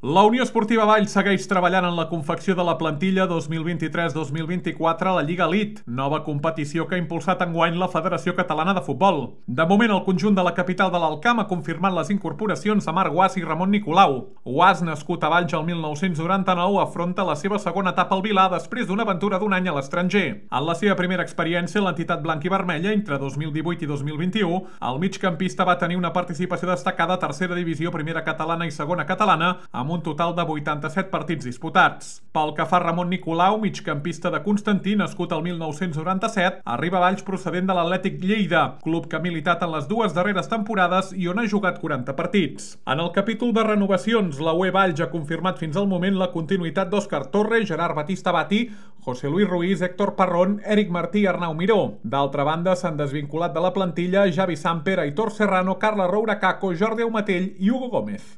La Unió Esportiva Valls segueix treballant en la confecció de la plantilla 2023-2024 a la Lliga Elite, nova competició que ha impulsat enguany la Federació Catalana de Futbol. De moment, el conjunt de la capital de l'Alcamp ha confirmat les incorporacions de Marc Guas i Ramon Nicolau. Guas, nascut a Valls el 1999, afronta la seva segona etapa al Vilà després d'una aventura d'un any a l'estranger. En la seva primera experiència en l'entitat blanc i vermella, entre 2018 i 2021, el migcampista va tenir una participació destacada a tercera divisió, primera catalana i segona catalana, amb un total de 87 partits disputats. Pel que fa a Ramon Nicolau, migcampista de Constantí, nascut el 1997, arriba a Valls procedent de l'Atlètic Lleida, club que ha militat en les dues darreres temporades i on ha jugat 40 partits. En el capítol de renovacions, la UE Valls ha confirmat fins al moment la continuïtat d'Òscar Torre, Gerard Batista Bati, José Luis Ruiz, Héctor Parrón, Eric Martí i Arnau Miró. D'altra banda, s'han desvinculat de la plantilla Javi Samper, Aitor Serrano, Carla Roura Caco, Jordi Aumatell i Hugo Gómez.